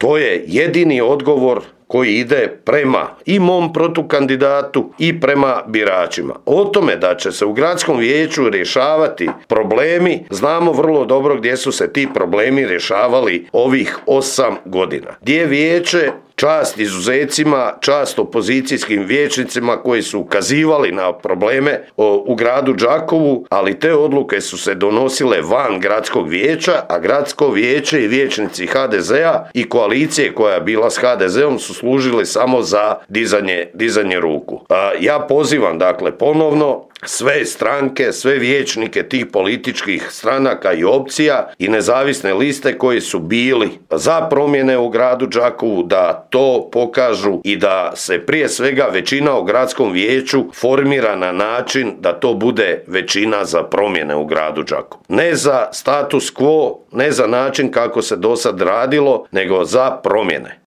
To je jedini odgovor koji ide prema i mom protukandidatu i prema biračima. O tome da će se u gradskom vijeću rješavati problemi, znamo vrlo dobro gdje su se ti problemi rješavali ovih 8 godina. Gdje je vijeće, čast izuzecima, čast opozicijskim vijećnicima koji su ukazivali na probleme u gradu Đakovu, ali te odluke su se donosile van gradskog vijeća, a gradsko vijeće i vijećnici HDZ-a i koalicije koja je bila s HDZ-om su služili samo za dizanje ruku. Ja pozivam dakle ponovno sve stranke, sve vijećnike tih političkih stranaka i opcija i nezavisne liste koji su bili za promjene u gradu Đakovu da to pokažu i da se prije svega većina u gradskom vijeću formira na način da to bude većina za promjene u gradu Đakovu. Ne za status quo, ne za način kako se do sad radilo, nego za promjene.